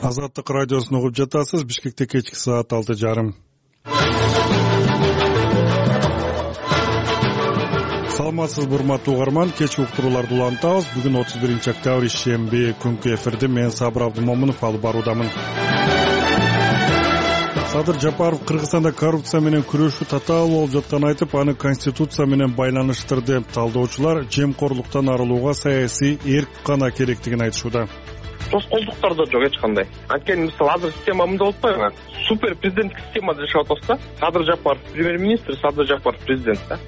Азаттык радиосун угуп жатасыз. Бишкекте кечки саат 6:30. Саламатсызбы урматтуу угарман, кечки уктурууларды улантабыз. Бүгүн 31-октябрь ишемби күнкү эфирди мен Сабыр Абдумомунов алып баруудамын. Садыр Жапаров Кыргызстанда коррупция менен күрөшүү татаал болуп жатканын айтып, аны конституция менен байланыштырды. Талдоочулар жемкорлуктан арылууга саясий эрк гана керектигин айтышууда. Тоскоолдуктар да жок эч кандай. Анткени мисалы азыр система мындай болуп калган. Супер президенттик системада жашап атабыз да. Садыр Жапаров премьер-министр, Садыр Жапаров президент да.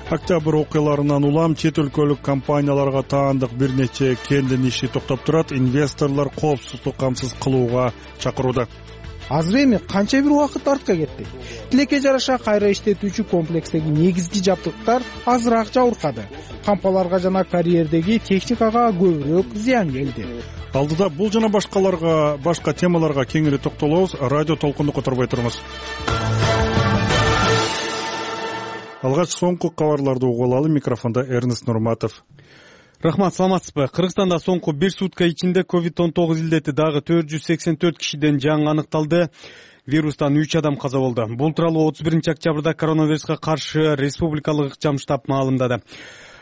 Октябрь окуяларынан улам чет өлкөлүк компанияларга таандык бир нече кендин иши токтоп турат. Инвесторлор коопсуздук камсыз кылууга чакырууда. Азыр эми канча бир убакыт артка кетти. Тилекке жараша кайра иштетүүчү комплекстеги негизги жабдыктар азыраак жабыркады. Кампаларга жана карьердеги техникага көбүрөөк зыян келди. Алдыда бул жана башка темаларга кеңири токтолобуз. Радио толкунду которбой туруңуз. Алгач соңку кабарларды угуп алалы. Микрофондо Эрнест Нурматов. Рахмат, саламатсызбы? Кыргызстанда соңку 1 сутка ичинде COVID-19 илдети дагы 484 кишиден жаңы аныкталды. Вирустан 3 адам каза болду. Бул тууралуу 31-октябрда коронавируска каршы республикалык ыкчам штаб маалымдады.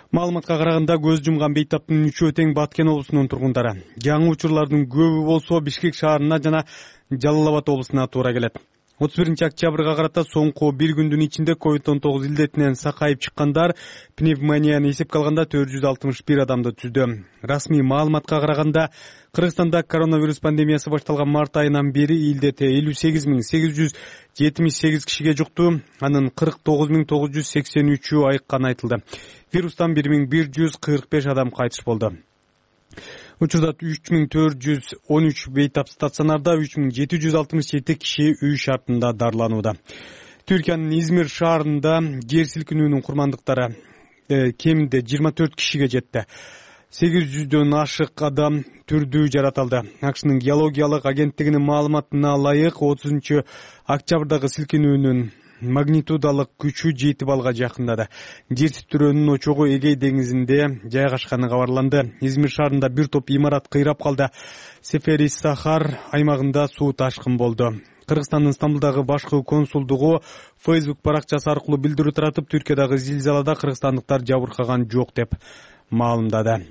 Маалыматка караганда көз жумган бейтаптын 3-өө тең Баткен облусунун тургундары. Жаңы учурлардын көбү болсо Бишкек шаарына жана Жалал Абад облусуна туура келет. 31-октябрга карата соңку бир күндүн ичинде COVID-19 илдетинен сакайып чыккандар пневмонияны эсепке алганда 461 адамды түздү. Расмий маалыматка караганда Кыргызстанда коронавирус пандемиясы башталган март айынан бери илдете 58.878 кишиге жукту. Анын 49.983-ü айыкканы айтылды. Вирустан 1.145 адам кайтыш болду. Учурда 3.413 бейтап стационарда, 3.767 киши үй шартында дарыланууда. Түркиянын Измир шаарында жер силкинүүнүн курмандыктары кеминде 24 кишиге жетти. 800дөн ашык адам түрдүү жаратылды. АКШнын геологиялык агенттигинин маалыматына ылайык 30-октябрдагы силкинүүнүн магнитудалык күчү 7 балга жакындады. Жер титирөөнүн очогу Эгей деңизинде жайгашканы кабарланды. Измир шаарында бир топ имарат кыйрап калды. Сефери-Сахар аймагында суу ташкын болду. Кыргызстандын Стамбулдагы башкы консулдугу Facebook баракчасы аркылуу билдирүү таратып, Түркиядагы зилзалада кыргызстандыктар жабыркаган жок деп маалымдады.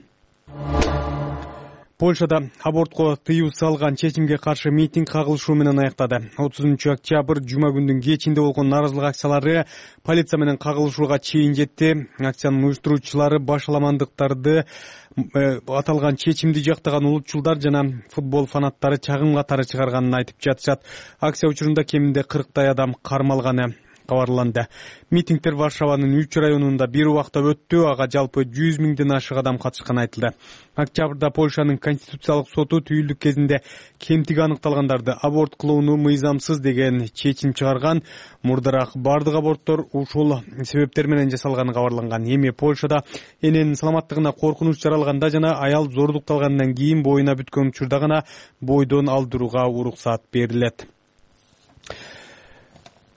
Польшада абортко тыюу салган чечимге каршы митинг кагылышуу менен аяктады. 30-октябрь жума күндүн кечинде болгон нааразылык акциялары полиция менен кагылышууга чейин жетти. Акциянын уюштуруучулары башаламандыктарды аталган чечимди жактаган улутчулдар жана футбол фанаттары чагым катары чыгарганын айтып жатышат. Акция учурунда кеминде 40 адам кармалганы кабарланды. Митингдер Варшаванын 3 районунда бир убакта өттү. Ага жалпы 100 миңден ашык адам катышканы айтылды. Октябрда Польшанын конституциялык соту түйүлдүк кезинде кемтиги аныкталгандарды аборт кылууну мыйзамсыз деген чечим чыгарган. Мурдараак бардык аборттор ушул себептер менен жасалганы кабарланган. Эми Польшада эненин саламаттыгына коркунуч жаралганда жана аял зордукталгандан кийин боюна бүткөн учурда гана бойдон алдырууга уруксат берилет.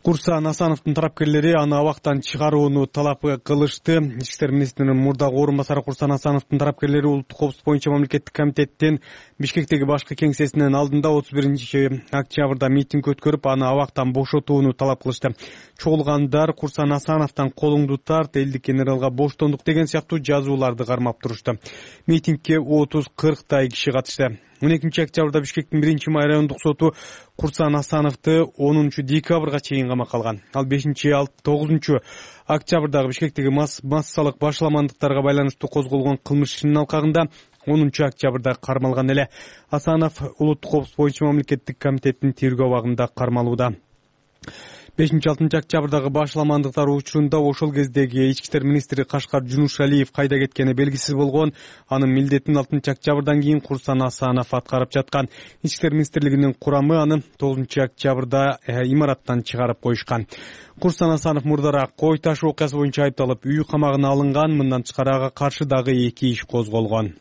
Курсан Асановдун тарапкерлери аны абактан чыгарууну талап кылышты. Ички иштер министринин мурдагы орун басары Курсан Асановдун тарапкерлери улуттук коопсуздук боюнча мамлекеттик комитеттин Бишкектеги башкы кеңсесинин алдында 31-октябрда митинг өткөрүп, аны абактан бошотууну талап кылышты. Чогулгандар Курсан Асановдон колуңду тарт, элдик генералга боштондук деген сыяктуу жазууларды кармап турушту. Митингге 30-40 киши катышты. 12-октябрда Бишкектин 1-май райондук соту Курсан Асановду 10-декабрга чейин камакка алган. Ал 5-9-октябрдагы Бишкектеги массалык башаламандыктарга байланыштуу козголгон кылмыш ишинин алкагында 10-октябрда кармалган эле. Асанов улуттук коопсуздук боюнча мамлекеттик комитеттин тергөө абагында кармалууда. 5-6-октябрдагы башаламандыктар учурунда ошол кездеги ички иштер министри Кашкар Жунушалиев кайда кеткени белгисиз болгон. Анын милдетин 6-октябрдан кийин Курсан Асанов аткарып жаткан. Ички иштер министрлигинин курамы аны 9-октябрда имараттан чыгарып коюшкан. Курсан Асанов мурдараак кой таш окуясы боюнча айыпталып үй камагына алынган. Мындан тышкары ага каршы дагы 2 иш козголгон.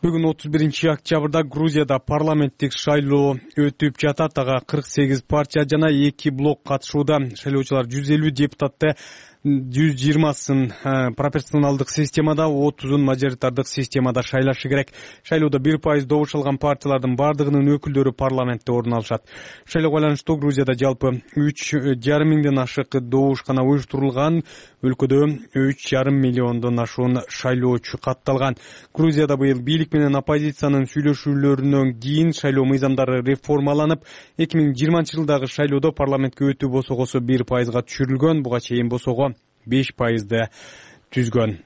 Бүгүн 31-октябрда Грузияда парламенттик шайлоо өтүп жатат. Ага 48 партия жана 2 блок катышууда. Шайлоочулар 150 депутатты 120сын пропорционалдык системада, 30-ун мажоритардык системада шайлашы керек. Шайлоодо 1% добуш алган партиялардын бардыгынын өкүлдөрү парламентте орун алышат. Шайлоого байланыштуу Грузияда жалпы 3,5 миңден ашык добушкана уюштурулган. Өлкөдө 3,5 миллиондон ашуун шайлоочу катталган. Грузияда быйыл бийлик менен оппозициянын сүйлөшүүлөрүнөн кийин шайлоо мыйзамдары реформаланып, 2020-жылдагы шайлоодо парламентке өтүү босогосу 1%га түшүрүлгөн. Буга чейин босого 5%ды түзгөн.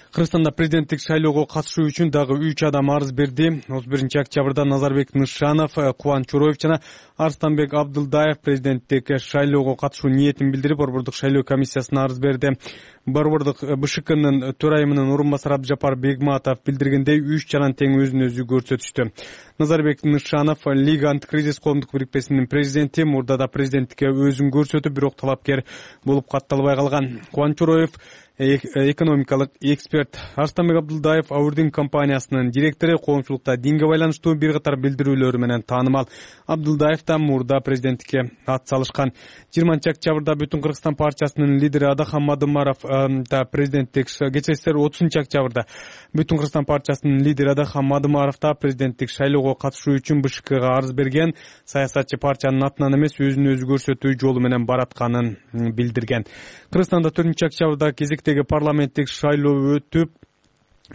Кыргызстанда президенттик шайлоого катышуу үчүн дагы 3 адам арыз берди. 31-октябрда Назарбек Нышанов, Кубан Чороев жана Арстанбек Абдылдаев президенттик шайлоого катышуу ниетин билдирип, Борбордук шайлоо комиссиясына арыз берди. Борбордук БШКнын төрайымынын орун басары Абдыжапар Бегматов билдиргендей, 3 жаран тең өзүн өзү көрсөтүштү. Назарбек Нышанов Лига антикризис коомдук бирикмесинин президенти, мурда да президенттикке өзүн көрсөтүп, бирок талапкер болуп катталбай калган. Кубан Чороев экономикалык эксперт, Арстанбек Абдылдаев Аурдин компаниясынын директору, коомчулукта динге байланыштуу бир катар билдирүүлөрү менен таанымал. Абдылдаев да мурда президенттикке ат салышкан. 20-октябрда Бүтүн Кыргызстан партиясынын лидери Адахан Мадымаров да президенттик кечесиздер 30-октябрда Бүтүн Кыргызстан партиясынын лидери Адахан Мадымаров да президенттик шайлоого катышуу үчүн БШКга арыз берген. Саясатчы партиянын атынан эмес, өзүн өзү көрсөтүү жолу менен баратканын билдирген. Кыргызстанда 4-октябрда кезектеги парламенттик шайлоо өтүп,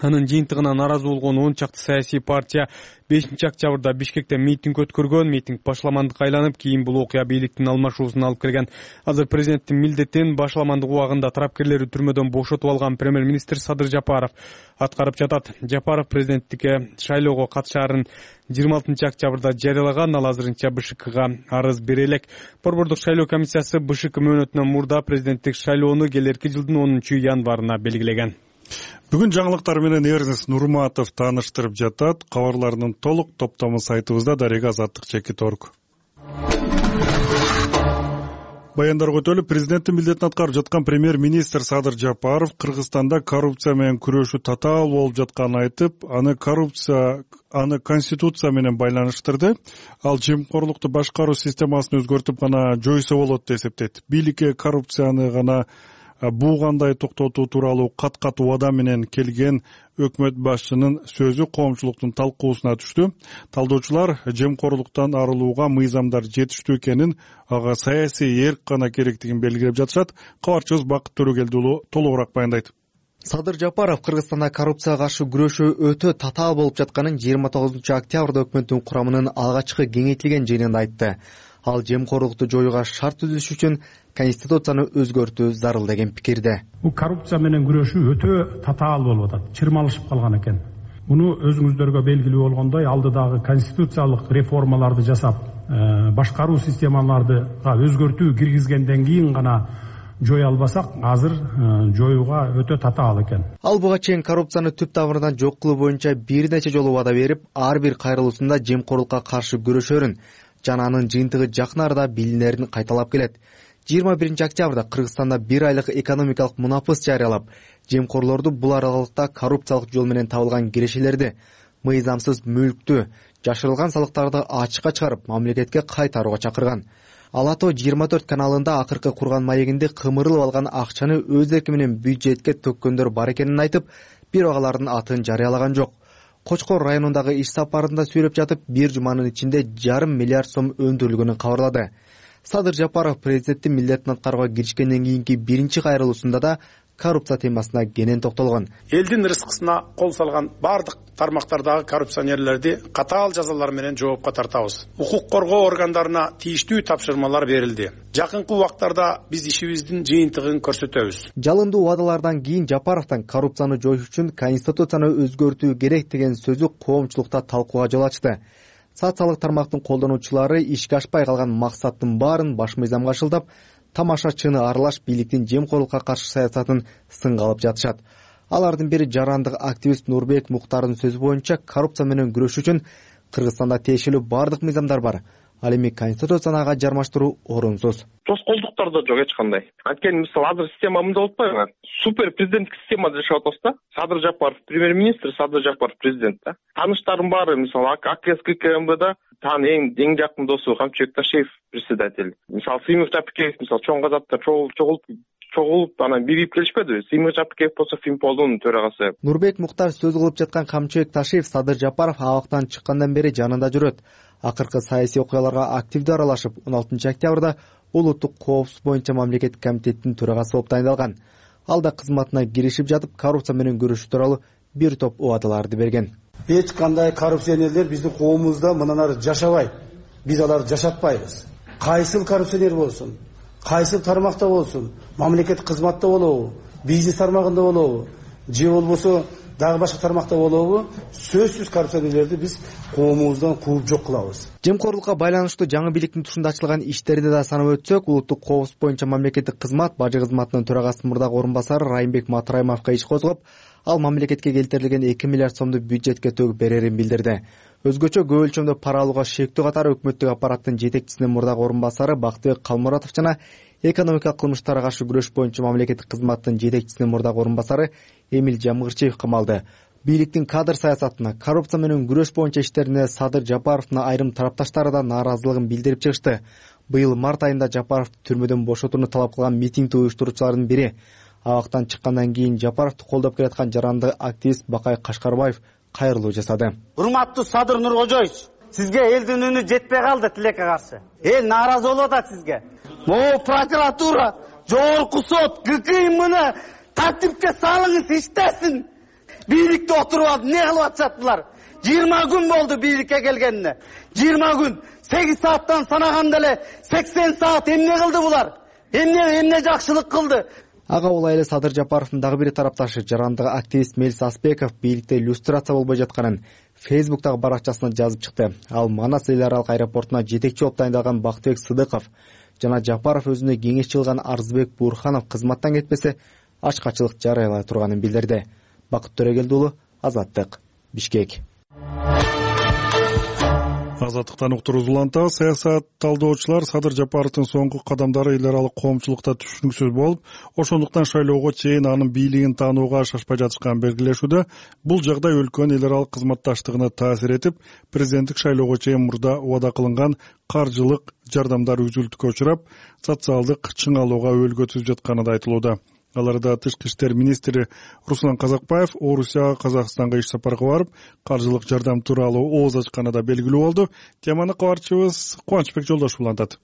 анын жыйынтыгына наразы болгон 10 чакты саясий партия 5-октябрда Бишкекте митинг өткөргөн. Митинг башламандыкка айланып, кийин бул окуя бийликтин алмашуусуна алып келген. Азыр президенттин милдетин башламандык убагында тарапкерлери түрмөдөн бошотуп алган премьер-министр Садыр Жапаров аткарып жатат. Жапаров президенттикке шайлоого катышаарын 26-октябрда жарыялаган. Ал азырынча БШКга арыз бере элек. Борбордук шайлоо комиссиясы БШК мөөнөтүнөн мурда президенттик шайлоону келерки жылдын 10-январына белгилеген. Бүгүн жаңылыктар менен Эрнест Нурматов тааныштырып жатат. Кабарлардын толук топтому сайтыбызда Дарега Азаттык.org. Баяндарга өтөлүп, президенттин милдетин аткарып жаткан премьер-министр Садыр Жапаров Кыргызстанда коррупция менен күрөшүү татаал болуп жатканын айтып, аны конституция менен байланыштырды. Ал жемкорлукту башкаруу системасын өзгөртүп гана жойсо болот деп эсептейт. Бийликке коррупцияны гана кандай токтотуу тууралуу кат убада менен келген өкмөт башчынын сөзү коомчулуктун талкуусуна түштү. Талдоочулар жемкорлуктан арылууга мыйзамдар жетиштүү экенин, ага саясий эрк гана керектигин белгилеп жатышат. Кабарчыбыз Бакыт Төрөгелди уулу толугураак баяндайт. Садыр Жапаров Кыргызстанда коррупцияга каршы күрөшүү өтө татаал болуп жатканын 29-октябрда өкмөттүн курамынын алгачкы кеңейтилген жыйынында айтты. Ал жемкорлукту жоюуга шарт түзүш үчүн конституцияны өзгөртүү зарыл деген пикирде. Бул коррупция менен күрөшүү өтө татаал болуп атат, чырмалышып калган экен. Муну өзүңүздөргө белгилүү болгондой, алдыдагы конституциялык реформаларды жасап, башкаруу системалардыга өзгөртүү киргизгенден кийин гана жоя албасак, азыр жоюуга өтө татаал экен. Ал буга чейин коррупцияны түп тамырынан жок кылуу боюнча бир нече жолу убада берип, ар бир кайрылуусунда жемкорлукка каршы күрөшөрүн жана анын жыйынтыгы жакын арада билинерин кайталап келет. 21-октябрда Кыргызстанда 1 айлык экономикалык мунапыс жарыялап, жемкорлорду бул аралыкта коррупциялык жол менен табылган кирешелерди, мыйзамсыз мүлктү, жашырылган салыктарды ачыкка чыгарып, мамлекетке кайтарууга чакырган. Алато 24 каналында акыркы курган маегинде кымырылып алган акчаны өз эрки менен бюджетке төккөндөр бар экенин айтып, бирок алардын атын жарыялаган жок. Кочкор районундагы иш сапарында сүйлөп жатып, бир жуманын ичинде 1,5 миллиард сом өндүрүлгөнүн кабарлады. Садыр Жапаров президенттин милдетин аткарууга киришкенден кийинки биринчи кайрылуусунда да коррупция темасына кенен токтолгон. Элдин рызкысына кол салган бардык тармактардагы коррупционерлерди катаал жазалар менен жоопко тартабыз. Укук коргоо органдарына тийиштүү тапшырмалар берилди. Жакынкы убактарда биз ишибиздин жыйынтыгын көрсөтөбүз. Жалындуу убадалардан кийин Жапаровдон коррупцияны жоюш үчүн конституцияны өзгөртүү керек деген сөзү коомчулукта талкууга жол ачты. Социалдык тармактын колдонуучулары ишке ашпай калган максаттын баарын баш мыйзамга шылдап, тамашачыны аралаш бийликтин жемкорлукка каршы саясатын сынга алып жатышат. Алардын бири жарандык активист Нурбек Муктардын сөзү боюнча, коррупция менен күрөшүү үчүн Кыргызстанда тиешелүү бардык мыйзамдар бар. Ал эми конституцияны ага жармаштыруу орунсуз. Тоскоолдуктар да жок эч кандай. Анткени мисалы азыр система мындай болуп атпайбы? Супер президенттик системада жашап атабыз да. Садыр Жапаров премьер-министр, Садыр Жапаров президент да. Тааныштарым баары, мисалы АКС-КМБда эң жакын досу Камчыбек Ташеев председатель. Мисалы Сыймов Тапикеев, мисалы чоң казаттар чогулуп чогулуп анан бирип келишпедиби? Сыймык Жапыкеев болсо Финполдун төрагасы. Нурбек Муктар сөз кылып жаткан Камчыбек Ташиев Садыр Жапаров абактан чыккандан бери жанында жүрөт. Акыркы саясий окуяларга активдүү аралашып, 16 октябрда улуттук коопсуздук боюнча мамлекеттик комитеттин төрагасы болуп тайындалган. Ал да кызматына киришип жатып, коррупция менен күрөшүү тууралуу бир топ убадаларды берген. Эч кандай коррупционерлер биздин коомубузда мындан ары жашабайт. Биз аларды жашатпайбыз. Кайсыл коррупционер болсун, кайсыл тармакта болсун, мамлекеттик кызматта болобу, бизнес тармагында болобу, же болбосо дагы башка тармакта болобу, сөзсүз коррупционерлерди биз коомубуздан кууп жок кылабыз. Жемкорлукка байланыштуу жаңы бийликтин тушунда ачылган иштерди да санап өтсөк, улуттук коопсуздук боюнча мамлекеттик кызмат бажы кызматынын төрагасынын мурдагы орун басары Райымбек Матраимовго иш козгоп, ал мамлекетке келтирилген 2 миллиард сомду бюджетке төгүп берерин билдирди. Өзгөчө көп өлчөмдө пара алууга шектүү катары өкмөттүк аппараттын жетекчисинин мурдагы орун басары Бактыбек Калмуратов жана экономикалык кылмыштарга каршы күрөш боюнча мамлекеттик кызматтын жетекчисинин мурдагы орун басары Эмил Жамгырчиев камалды. Бийликтин кадр саясатына, коррупция менен күрөш боюнча иштерине Садыр Жапаровдун айрым тарапташтары да нааразылыгын билдирип чыгышты. Быйыл март айында Жапаровду түрмөдөн бошотууну талап кылган митингди уюштуруучулардын бири. Абактан чыккандан кийин Жапаровду колдоп келаткан жаранды активист Бакай Кашкарбаев кайрылуу жасады. Урматтуу Садыр Нуркожоевич, сизге элдин үнү жетпей калды тилекке каршы. Эл нааразы болуп атат сизге. Могу прокуратура, жогорку сот, ГК муну тартипке салыңыз, иштесин. Бийликте отуруп алып эмне кылып атышат? 20 күн болду бийликке келгенине. 20 күн. 8 сааттан санаганда эле 80 саат эмне кылды булар? Эмне жакшылык кылды? Ага улай эле Садыр Жапаровдун дагы бир тарапташы жарандык активист Мелис Аспеков бийликте иллюстрация болбой жатканын Facebook'тагы баракчасына жазып чыкты. Ал Манас эл аралык аэропортуна жетекчи болуп тайындалган Бактыбек Сыдыков жана Жапаров өзүнө кеңешчи кылган Арзыбек Буурханов кызматтан кетпесе ачкачылык жарыялай турганын билдирди. Бакыт Төрөгелди уулу, Азаттык, Бишкек. Азаттыктан уктуруз уланта саясат талдоочулар Садыр Жапаровдун соңку кадамдары эл аралык коомчулукта түшүнүксүз болуп, ошондуктан шайлоого чейин анын бийлигин таанууга шашпай жатышканын белгилешүүдө. Бул жагдай өлкөнүн эл аралык кызматташтыгына таасир этип, президенттик шайлоого чейин мурда убада кылынган каржылык жардамдар үзүлтүүгө учурап, социалдык чыңалууга өөлгө түзүп жатканы да айтылууда. Аларда тышкы иштер министри Руслан Казакбаев Орусияга, Казакстанга иш сапарга барып, каржылык жардам тууралуу ооз ачканы да белгилүү болду. Теманы кабарчыбыз Кубанычбек Жолдошов улантат.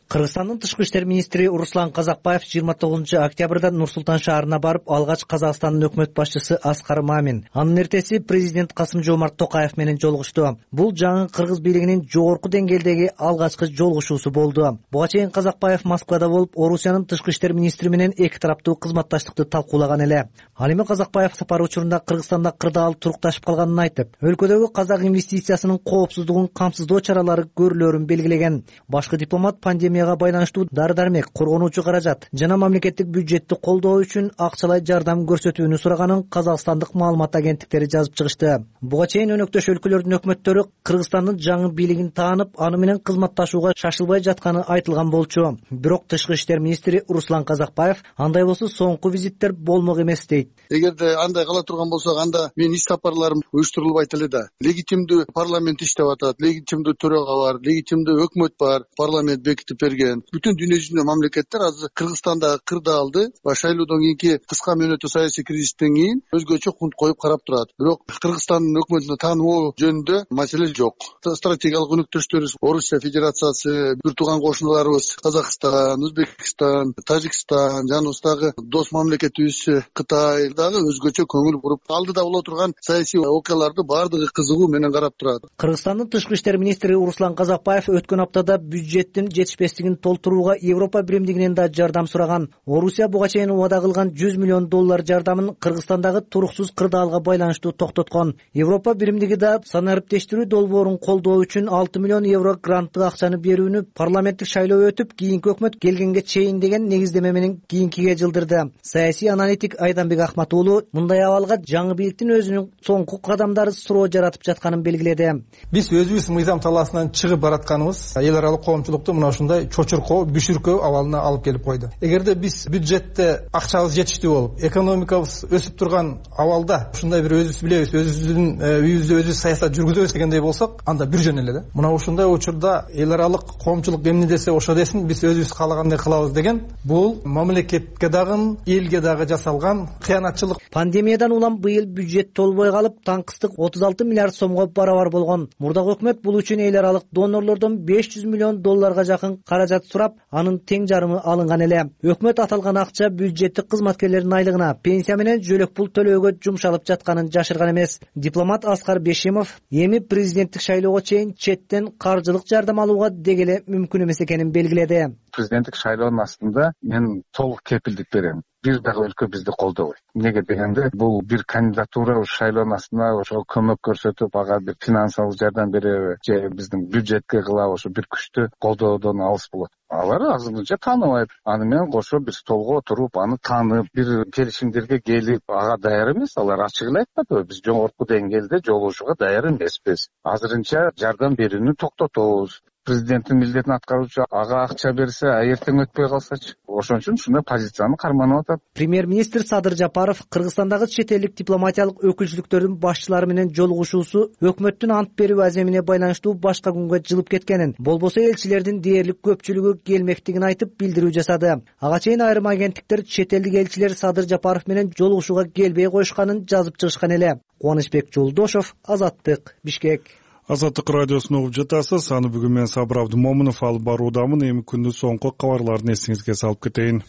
Кыргызстандын тышкы иштер министри Руслан Казакбаев 29 октябрда Нур-Султан шаарына барып, алгач Казакстандын өкмөт башчысы Аскар Мамин, анын эртеси президент Касым-Жомарт Токаев менен жолугушту. Бул жаңы кыргыз бийлигинин жогорку деңгээлдеги алгачкы жолугушуусу болду. Буга чейин Казакбаев Москвада болуп, Орусиянын тышкы иштер министри менен эки тараптуу кызматташтыкты талкуулаган эле. Ал эми Казакбаев сапар учурунда Кыргызстанда кырдаал турукташып калганын айтып, өлкөдөгү казак инвестициясынын коопсуздугун камсыздоо чаралары көрүлөрүн белгилеген. Башкы дипломат пандемияга байланыштуу дары-дармек, коргонуучу каражат жана мамлекеттик бюджетти колдоо үчүн акчалай жардам көрсөтүүнү сураганын казакстандык маалымат агенттиктери жазып чыгышты. Буга чейин өнөктөш өлкөлөрдүн өкмөттөрү Кыргызстандын жаңы бийлигин таанып, аны менен кызматташууга шашылбай жатканы айтылган болчу. Бирок тышкы иштер министри Руслан Казакбаев андай болсо соңку визиттер болмок эмес дейт. Эгерде андай кыла турган болсок, анда мен иш сапарларым уюштурулбайт эле да. Легитимдүү парламент иштеп атат, легитимдүү төрага бар, легитимдүү өкмөт бар, парламент бекитип берген. Бүтүн дүйнө жүзүндө мамлекеттер азыр Кыргызстанда кырдаалды шайлоодон кийинки кыска мөөнөттүү саясий кризистен кийин өзгөчө кунт коюп карап турат. Бирок Кыргызстандын өкмөтүнө таануу жөнүндө маселе жок. Стратегиялык өнөктөштөрүбүз Орусия Федерациясы, бир тууган кошуналарыбыз Казакстан, Өзбекстан, Тажикстан, жаныбыздагы дос мамлекетибиз Кытай дагы өзгөчө көңүл буруп, алдыда боло турган саясий окуяларды баардыгы кызыгуу менен карап турат. Кыргызстандын тышкы иштер министри Руслан Казакбаев өткөн аптада бюджеттин жетишпестигин толтурууга Европа биримдигинен да жардам сураган. Орусия буга чейин убада кылган $100 миллион жардамын Кыргызстандагы туруксуз кырдаалга байланыштуу токтоткон. Европа биримдиги да санариптештирүү долбоорун колдоо үчүн €6 миллион гранттык акчаны берүүнү парламенттик шайлоо өтүп, кийинки өкмөт келгенге чейин деген негиздеме менен кийинкиге жылдырды. Саясий аналитик Айданбек Ахматуулу мындай абалга жаңы бийликтин өзүнүн соңку кадамдары суроо жаратып жатканын белгиледи. Биз өзүбүз мыйзам талаасынан чыгып баратканыбыз эл аралык коомчулукту мына ушундай ушундай чочуркоо, бүшүркөө абалына алып келип койду. Эгерде биз бюджетте акчабыз жетиштүү болуп, экономикабыз өсүп турган абалда ушундай бир өзүбүз билебиз, өзүбүздүн үйүбүздө өзүбүз саясат жүргүзөбүз дегендей болсок, анда бир жөн эле да. Мына ушундай учурда эл аралык коомчулук эмне десе ошо десин, биз өзүбүз каалагандай кылабыз деген бул мамлекетке дагы, элге дагы жасалган кыянатчылык. Пандемиядан улам быйыл бюджет толбой калып, таңкыстык 36 миллиард сомго барабар болгон. Мурдагы өкмөт бул үчүн эл аралык донорлордон 500 миллион долларга жакын каражат сурап, анын тең жарымы алынган эле. Өкмөт аталган акча бюджеттик кызматкерлердин айлыгына, пенсия менен жөлөк пул төлөөгө жумшалып жатканын жашырган эмес. Дипломат Аскар Бешимов эми президенттик шайлоого чейин четтен каржылык жардам алууга дегеле мүмкүн эмес экенин белгиледи. Президенттик шайлоонун астында мен толук кепилдик берем. Бир дагы өлкө бизди колдобойт. Эмнеге дегенде, бул бир кандидатура шайлоонун астында ошо көмөк көрсөтүп, ага бир финансылык жардам береби же биздин бюджетке кылабы, ошо бир күчтүү колдоодон алыс болот. Алар азырынча тааныбайт. Аны менен кошо биз столго отуруп, аны таанып, бир келишимдерге келип, ага даяр эмес. Алар ачык эле айтпады, биз жогорку деңгээлде жолугушууга даяр эмеспиз. Азырынча жардам берүүнү токтотобуз. Президенттин милдетин аткаруучу ага акча берсе, эртең өтпөй калсачы. Ошон үчүн ушундай позицияны карманып атат. Премьер-министр Садыр Жапаров Кыргызстандагы чет элдик дипломатиялык өкүлчүлүктөрдүн башчылары менен жолугушуусу өкмөттүн ант берүү аземине байланыштуу башка күнгө жылып кеткенин, болбосо элчилердин дээрлик көпчүлүгү келмектигин айтып билдирүү жасады. Ага чейин айрым агенттиктер чет элдик элчилер Садыр Жапаров менен жолугушууга келбей коюшканын жазып чыгышкан эле. Кубанычбек Жолдошов, Азаттык, Бишкек. Азаттык радиосун угуп жатасыз. Аны бүгүн мен Сабыр Абдымомунов алып баруудамын. Эми күндүн соңку кабарларын эсиңизге салып кетейин.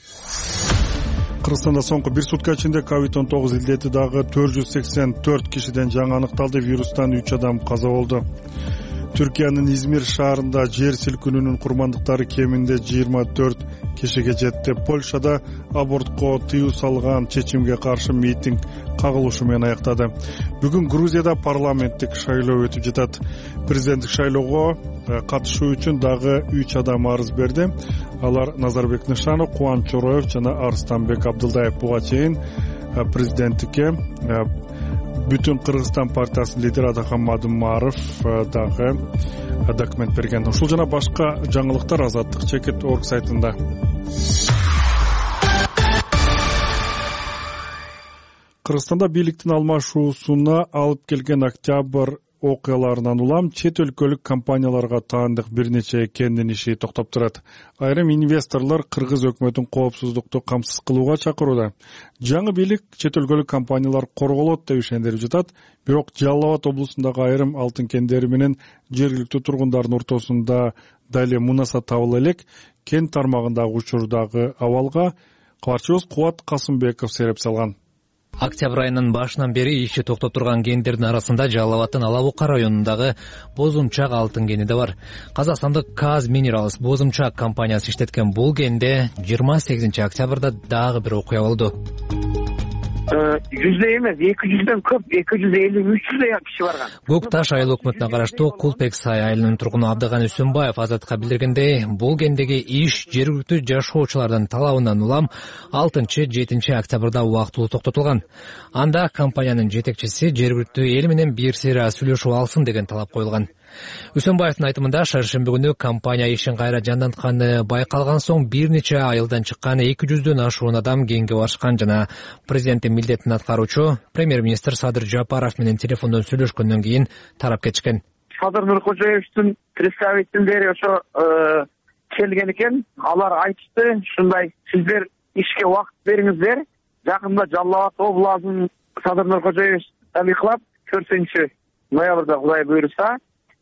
Кыргызстанда соңку бир сутка ичинде COVID-19 илдети дагы 484 кишиден жаңы аныкталды. Вирустан 3 адам каза болду. Түркиянын Измир шаарында жер силкинүүнүн курмандыктары кеминде 24 кишиге жетти. Польшада абортко тыюу салган чечимге каршы митинг кагылышы менен аяктады. Бүгүн Грузияда парламенттик шайлоо өтүп жатат. Президенттик шайлоого катышуу үчүн дагы 3 адам арыз берди. Алар Назарбек Нышанов, Кубаныч Чороев жана Арстанбек Абдылдаев. Буга чейин президенттикке Бүтүн Кыргызстан партиясынын лидери Атакан Мадымаров дагы документ берген. Ушул жана башка жаңылыктар Азаттык.org сайтында. Кыргызстанда бийликтин алмашуусуна алып келген октябрь окуяларынан улам чет өлкөлүк компанияларга таандык бир нече кендин иши токтоп турат. Айрым инвесторлор кыргыз өкмөтүн коопсуздукту камсыз кылууга чакырууда. Жаңы бийлик чет өлкөлүк компаниялар корголот деп ишендирип жатат. Бирок Жалал Абад облусундагы айрым алтын кендери менен жергиликтүү тургундардын ортосунда дали мунаса табыла элек. Кен тармагындагы учурдагы абалга кабарчыбыз Кубат Касымбеков сереп салган. Октябрь айынын башынан бери иши токтоп турган кендердин арасында Жалал Абаддын Ала Бука районундагы Бозумчак алтын кени да бар. Казакстандык Kaz Minerals Бозумчак компаниясы иштеткен бул кенде 28 октябрда дагы бир окуя болду. 100 эмес, 200дөн көп, 250-300 киши барган. Көк Таш айыл өкмөтүнө караштуу Кулпексай айылынын тургуну Абдыган Үсөнбаев Азатка билдиргендей, бул кендеги иш жергиликтүү жашоочулардын талабынан улам 6-7 октябрда убактылуу токтотулган. Анда компаниянын жетекчиси жергиликтүү эл менен бир сыйра сүйлөшүп алсын деген талап коюлган. Үсөнбаевдин айтымында шаршемби күнү компания ишин кайра жандантканы байкалган соң бир нече айылдан чыккан 200дөн ашуун адам кенге барышкан жана президенттин милдетин аткаруучу премьер-министр Садыр Жапаров менен телефондон сүйлөшкөндөн кийин тарап кетишкен. Садыр Нуркожоевдин представительдери ошо келген экен. Алар айтышты, ушундай сиздер ишке убакыт бериңиздер. Жакында Жалал Абад областын Садыр Нуркожоев талыклап 4 ноябрда Кудай буйруса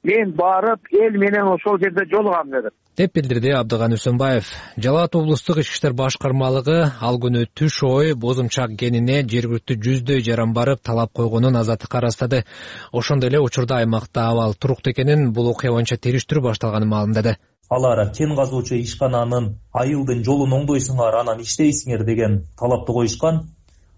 мен барып эл менен ошол жерде жолугам деди деп билдирди Абдыган Үсөнбаев. Жалал Абад облустук ички иштер башкармалыгы ал күнү түш ой Бозумчак кенине жергиликтүү 100дөй жаран барып талап койгонун Азаттыкка ырастады. Ошондой эле учурда аймакта абал туруктуу экенин, бул окуя боюнча териштирүү башталганын маалымдады. Алар кен казуучу ишкананын айылдын жолун оңдойсуңар, анан иштейсиңер деген талапты коюшкан.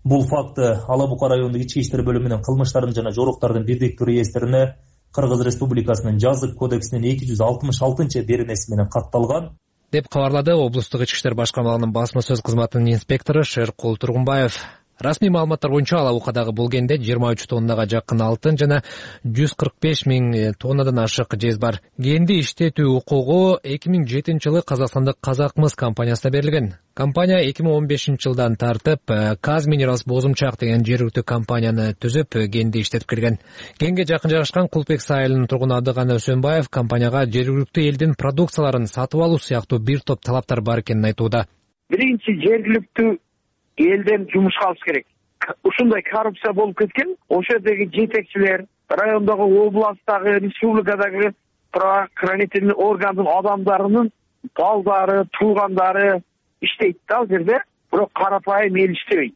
Бул факты Ала Бука райондук ички иштер бөлүмүнүн кылмыштардын жана жоруктардын бирдиктүү реестрине Кыргыз Республикасынын жазык кодексинин 266 беренеси менен катталган деп кабарлады облустук ички иштер башкармалыгынын басма сөз кызматынын инспектору Шеркул Тургунбаев. Расмий маалыматтар боюнча Алабукадагы бул кенде 23 тоннага жакын алтын жана 145 000 тоннадан ашык жез бар. Кенди иштетүү укугу 2007-жылы Казакстандык Казакмыс компаниясына берилген. Компания 2015-жылдан тартып Казминералс Бозумчак деген жергиликтүү компанияны түзүп, кенди иштетип келген. Кенге жакын жайгашкан Кулпекс айылынын тургуну Абдыганы Өсөнбаев компанияга жергиликтүү элдин продукцияларын сатып алуу сыяктуу бир топ талаптар бар экенин айтууда. Биринчи, жергиликтүү элден жумушка алыш керек. Ушундай коррупция болуп кеткен, ошол жердеги жетекчилер, райондогу, областтагы, республикадагы правоохранительный органдын адамдарынын балдары, туугандары иштейт да ал жерде, бирок карапайым эл иштебейт.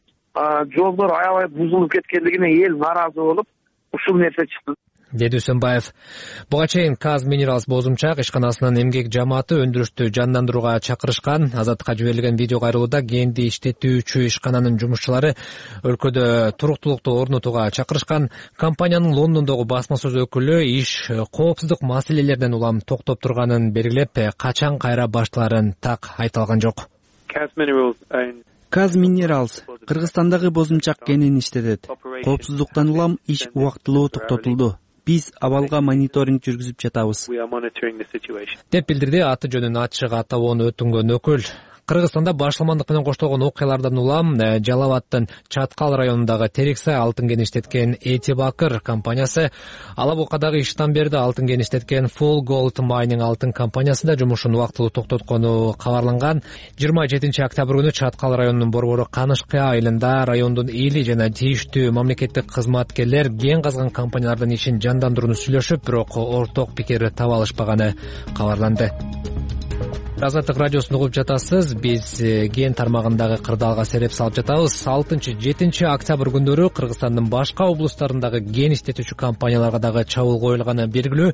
Жолдор аябай бузулуп кеткендигине эл нааразы болуп, ушул нерсе чыкты, деди Өсөнбаев. Буга чейин Казминералс Бозумчак ишканасынын эмгек жамааты өндүрүштү жандандырууга чакырышкан. Азаттыкка жиберилген видео кайрылууда кенди иштетүүчү ишкананын жумушчулары өлкөдө туруктуулукту орнотууга чакырышкан. Компаниянын Лондондогу басма сөз өкүлү иш коопсуздук маселелеринен улам токтоп турганын белгилеп, качан кайра башталарын так айта алган жок. Казминералс Кыргызстандагы Бозумчак кенин иштетет. Коопсуздуктан улам иш убактылуу токтотулду. Биз абалга мониторинг жүргүзүп жатабыз, деп билдирди аты жөнүн ачык атабоон өтүнгөн өкүл. Кыргызстанда башламандык менен коштолгон окуялардан улам Жалал Абадтын Чаткал районундагы Терексай алтын кен иштеткен Этибакыр компаниясы, Алабукадагы Иштанберди алтын кен иштеткен Full Gold Mining алтын компаниясы да жумушун убактылуу токтоткону кабарланган. 27 октябрь күнү Чаткал районунун борбору Канышкы айылында райондун эли жана тийиштүү мамлекеттик кызматкерлер кен казган компаниялардын ишин жандандырууну сүйлөшүп, бирок орток пикир таба алышпаганы кабарланды. Азаттык радиосун угуп жатасыз. Биз кен тармагындагы кырдаалга сереп салып жатабыз. 6-7 октябрь күндөрү Кыргызстандын башка облустарындагы кен иштетүүчү компанияларга дагы чабуул коюлганы белгилүү.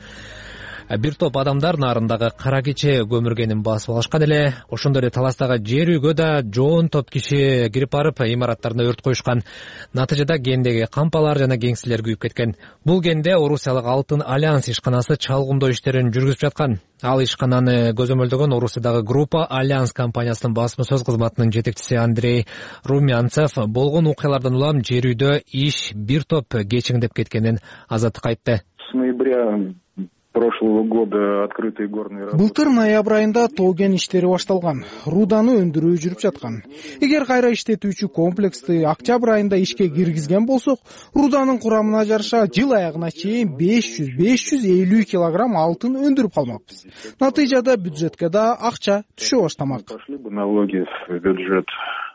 Бир топ адамдар нарындагы кара кече көмүргенин басып алышкан эле. Ошондой эле Таластагы жер үйгө да жоон топ киши кирип барып, имараттарына өрт коюшкан. Натыйжада кендеги кампалар жана кеңселер күйүп кеткен. Бул кенде Орусиялык Алтын Альянс ишканасы чалгымдоо иштерин жүргүзүп жаткан. Ал ишкананы көзөмөлдөгөн Орусиядагы Группа Альянс компаниясынын басма сөз кызматынын жетекчиси Андрей Румянцев болгон окуялардан улам жер үйдө иш бир топ кечиңдеп кеткенин Азаттыкка айтты. С ноября прошлого года открытые горные работы. Былтыр ноябрь айында тоо кен иштери башталган, руданы өндүрүү жүрүп жаткан. Эгер кайра иштетүүчү комплексти октябрь айында ишке киргизген болсок, руданын курамына жараша жыл аягына чейин 500-550 килограмм алтын өндүрүп калмакпыз. Натыйжада бюджетке да акча түшө баштамак. Пошли бы налоги в бюджет.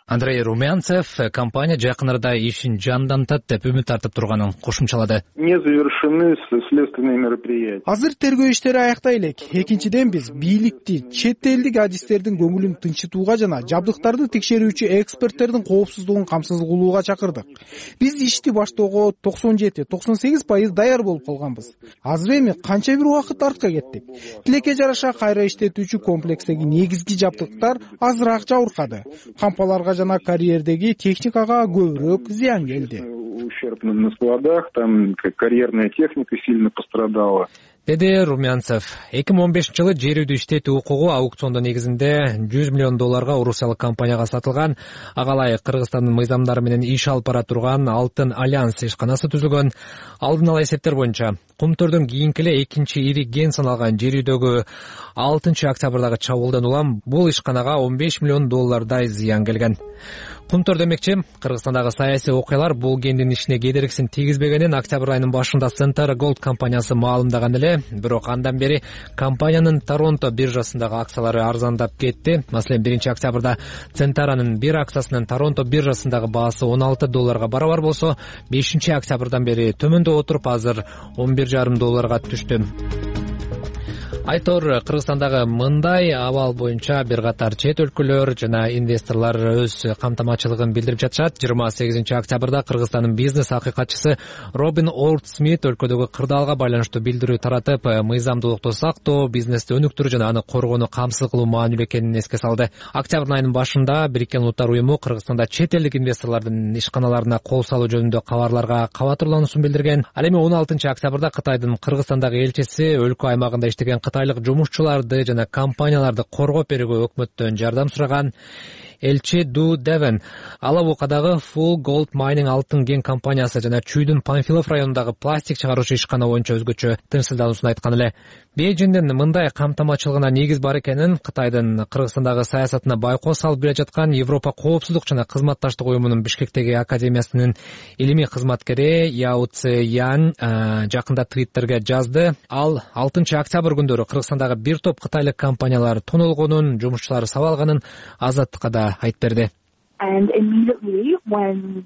Андрей Румянцев компания жакын арада ишин жандантат деп үмүт артып турганын кошумчалады. Не завершены следственные мероприятия. Азыр тергөө иштери аяктай элек. Экинчиден биз бийликти, чет элдик адистердин көңүлүн тынчытууга жана жабдыктарды текшерүүчү эксперттердин коопсуздугун камсыз кылууга чакырдык. Биз ишти баштоого 97-98% даяр болуп калганбыз. Азыр эми канча бир убакыт артка кеттик. Тилекке жараша кайра иштетүүчү комплекстеги негизги жабдыктар азыраак жабыркады. Кампаларга жана карьердеги техникага көбүрөөк зыян келди. Ущерб на складах, там карьерная техника сильно пострадала. Деди Румянцев. 2015-жылы жер үйдү иштетүү укугу аукциондо негизинде $100 миллион Орусиялык компанияга сатылган. Ага ылайык Кыргызстандын мыйзамдары менен иш алып бара турган Алтын Альянс ишканасы түзүлгөн. Алдын ала эсептер боюнча Кумтөрдөн кийинки эле экинчи ири кен саналган жер үйдөгү 6 октябрдагы чабуулдан улам бул ишканага $15 миллион зыян келген. Кумтөр демекчи, Кыргызстандагы саясий окуялар бул кендин ишине кедергисин тийгизбегенин октябрь айынын башында Center Gold компаниясы маалымдаган эле, бирок андан бери компаниянын Торонто биржасындагы акциялары арзандап кетти. Маселен, 1 октябрда Центаранын бир акциясынын Торонто биржасындагы баасы $16 барабар болсо, 5 октябрдан бери төмөндөп отуруп азыр $11,5 түштү. Айтор, Кыргызстандагы мындай абал боюнча бир катар чет өлкөлөр жана инвесторлор өз камтамачылыгын билдирип жатышат. 28 октябрда Кыргызстандын бизнес акыйкатчысы Робин Орд Смит өлкөдөгү кырдаалга байланыштуу билдирүү таратып, мыйзамдуулукту сактоо, бизнести өнүктүрүү жана аны коргоону камсыз кылуу маанилүү экенин эске салды. Октябрь айынын башында Бириккен Улуттар уюму Кыргызстанда чет элдик инвесторлордун ишканаларына кол салуу жөнүндө кабарларга кабатырлануусун билдирген. Ал эми 16 октябрда Кытайдын Кыргызстандагы элчиси өлкө аймагында иштеген кытайлык жумушчуларды жана компанияларды коргоп берүүгө өкмөттөн жардам сураган элчи Ду Девен Алабукадагы Full Gold Mining алтын кен компаниясы жана Чүйдүн Панфилов районундагы пластик чыгаруучу ишкана боюнча өзгөчө тынчсыздануусун айткан эле. Бейжиңдин мындай камтамачылыгына негиз бар экенин Кытайдын Кыргызстандагы саясатына байкоо салып бере жаткан Европа коопсуздук жана кызматташтык уюмунун Бишкектеги академиясынын илимий кызматкери Яо Цзян жакында твиттерге жазды. Ал 6 октябрь күндөрү Кыргызстандагы бир топ кытайлык компаниялар тонолгонун, жумушчулары сабалганын Азаттыкка да айтып берди.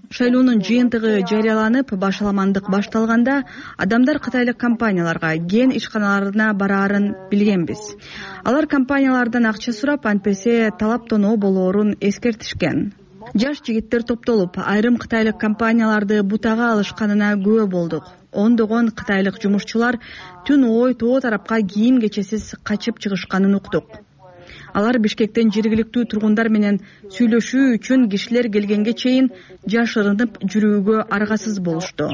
Шайлоонун жыйынтыгы жарыяланып, башаламандык башталганда адамдар кытайлык компанияларга, кен ишканаларына бараарын билгенбиз. Алар компаниялардан акча сурап, антпесе талап тоноо болоорун эскертишкен. Жаш жигиттер топтолуп, айрым кытайлык компанияларды бутага алышканына күбө болдук. Ондогон кытайлык жумушчулар түн ой тоо тарапка кийим кечесиз качып чыгышканын уктук. Алар Бишкектен жергиликтүү тургундар менен сүйлөшүү үчүн кишилер келгенге чейин жашырынып жүрүүгө аргасыз болушту,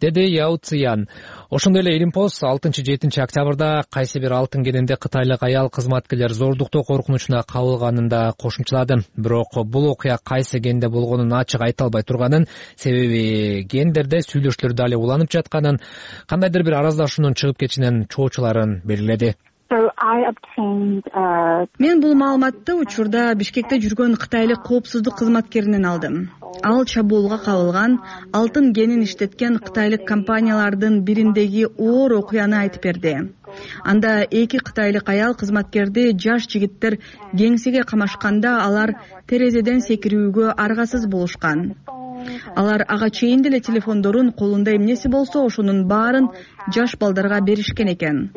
деди Яо Цзян. Ошондой эле Илимпост 6-7 октябрда кайсы бир алтын кенинде кытайлык аял кызматкерлер зордуктоо коркунучуна кабылганын да кошумчалады. Бирок бул окуя кайсы кенде болгонун ачык айта албай турганын, себеби кендерде сүйлөшүүлөр дали уланып жатканын, кандайдыр бир араздашуунун чыгып кетишинен чоочуларын белгиледи. Мен бул маалыматты учурда Бишкекте жүргөн кытайлык коопсуздук кызматкеринен алдым. Ал чабуулга кабылган, алтын кенин иштеткен кытайлык компаниялардын бириндеги оор окуяны айтып берди. Анда 2 кытайлык аял кызматкерди жаш жигиттер кеңсеге камашканда алар терезеден секирүүгө аргасыз болушкан. Алар ага чейин деле телефондорун колунда эмнеси болсо ошонун баарын жаш балдарга беришкен экен.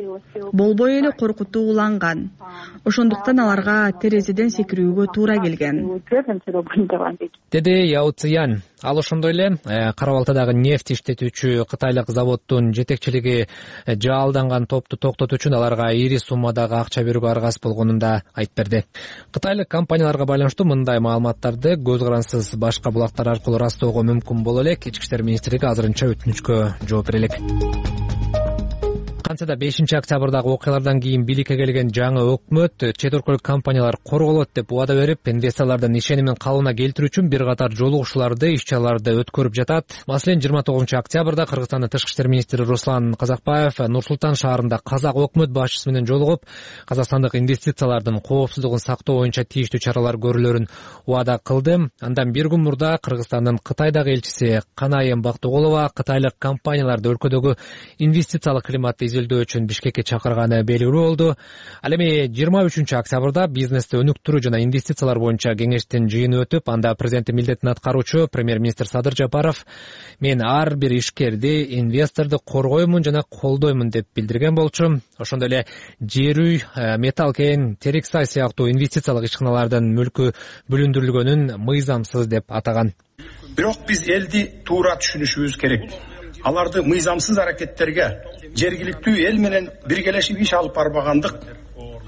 Болбой эле коркутууланган. Ошондуктан аларга терезеден секирүүгө туура келген, деди Яо Цзян. Ал ошондой эле Кара Балтадагы нефть иштетүүчү кытайлык заводдун жетекчилиги жаалданган топту токтотуу үчүн аларга ири суммадагы акча берүүгө аргасыз болгонун да айтып берди. Кытайлык компанияларга байланыштуу мындай маалыматтарды көз карансыз башка булактар аркылуу растоого мүмкүн боло элек. Ички иштер министрлиги азырынча өтүнүчкө жооп бере элек. Францияда 5 октябрдагы окуялардан кийин бийликке келген жаңы өкмөт чет өлкөлүк компаниялар корголот деп убада берип, инвесторлордун ишенимин калыбына келтирүү үчүн бир катар жолугушууларды, иш-чараларды өткөрүп жатат. Маселен, 29 октябрда Кыргызстандын тышкы иштер министри Руслан Казакбаев Нур-Султан шаарында казак өкмөт башчысы менен жолугуп, казакстандык инвестициялардын коопсуздугун сактоо боюнча тийиштүү чаралар көрүлөрүн убада кылды. Андан бир күн мурда Кыргызстандын Кытайдагы элчиси Канайым Бактыголова кытайлык компанияларды өлкөдөгү инвестициялык климатты изилдөө үчүн Бишкекке чакырганы белгилүү болду. Ал эми 23 октябрда бизнести өнүктүрүү жана инвестициялар боюнча кеңештин жыйыны өтүп, анда президенттин милдетин аткаруучу премьер-министр Садыр Жапаров мен ар бир ишкерди, инвесторду коргоймун жана колдоймун деп билдирген болчу. Ошондой эле жер үй, металл кен, терик сай сыяктуу инвестициялык ишканалардын мүлкү бүлүндүрүлгөнүн мыйзамсыз деп атаган. Бирок биз элди туура түшүнүшүбүз керек. Аларды мыйзамсыз аракеттерге жергиликтүү эл менен биргелешип иш алып барбагандык,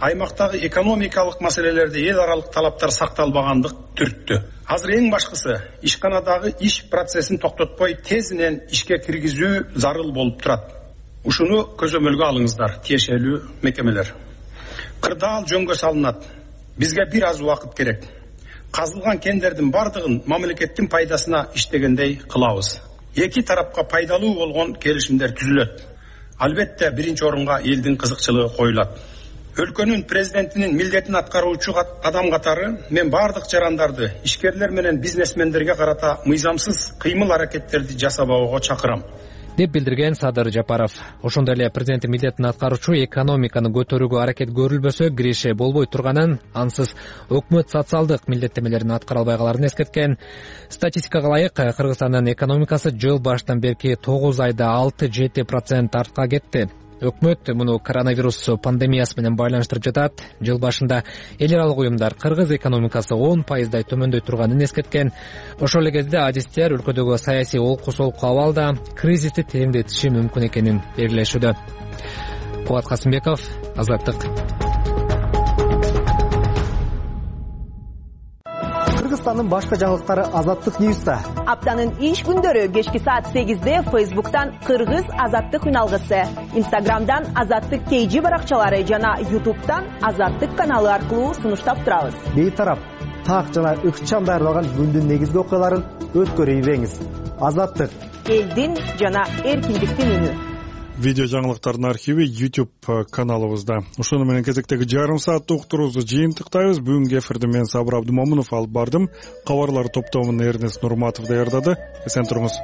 аймактагы экономикалык маселелерде эл аралык талаптар сакталбагандык түрттү. Азыр эң башкысы ишканадагы иш процессин токтотпой тезинен ишке киргизүү зарыл болуп турат. Ушуну көзөмөлгө алыңыздар, тиешелүү мекемелер. Кырдаал жөнгө салынат. Бизге бир аз убакыт керек. Казылган кендердин бардыгын мамлекеттин пайдасына иштегендей кылабыз. Эки тарапка пайдалуу болгон келишимдер түзүлөт. Албетте биринчи орунга элдин кызыкчылыгы коюлат. Өлкөнүн президентинин милдетин аткаруучу адам катары мен бардык жарандарды, ишкерлер менен бизнесмендерге карата мыйзамсыз кыймыл аракеттерди жасабоого чакырам, деп билдирген Садыр Жапаров. Ошондой эле президенттин милдетин аткаруучу экономиканы көтөрүүгө аракет көрүлбөсө киреше болбой турганын, ансыз өкмөт социалдык милдеттемелерин аткара албай каларын эскерткен. Статистикага ылайык, Кыргызстандын экономикасы жыл башынан берки 9 айда 6-7% артка кетти. Өкмөт муну коронавирус пандемиясы менен байланыштырып жатат. Жыл башында эл аралык уюмдар кыргыз экономикасы 10%дай төмөндөй турганын эскерткен. Ошол эле кезде адистер өлкөдөгү саясий олку-солку абалда кризисти тереңдетиши мүмкүн экенин белгилешүүдө. Кубат Касымбеков, Азаттык. Кыргызстандын башка жаңылыктары Азаттык Ньюста. Аптанын иш күндөрү кечки саат 8-де Facebook'тан Кыргыз Азаттык үналгысы, Instagram'дан Азаттык KG баракчалары жана YouTube'дан Азаттык каналы аркылуу сунуштап турабыз. Бейтарап, так жана ыкчам даярдалган күндүн негизги окуяларын өткөрүп ийбеңиз. Азаттык, элдин жана эркиндиктин үнү. Видео жаңылыктардын архиви YouTube каналыбызда. Ошону менен кезектеги жарым сааттык уктуруубузду жыйынтыктайбыз. Бүгүнкү эфирди мен Сабыр Абдымомунов алып бардым. Кабарлар топтомун Эрнест Нурматов даярдады. Эсен туруңуз.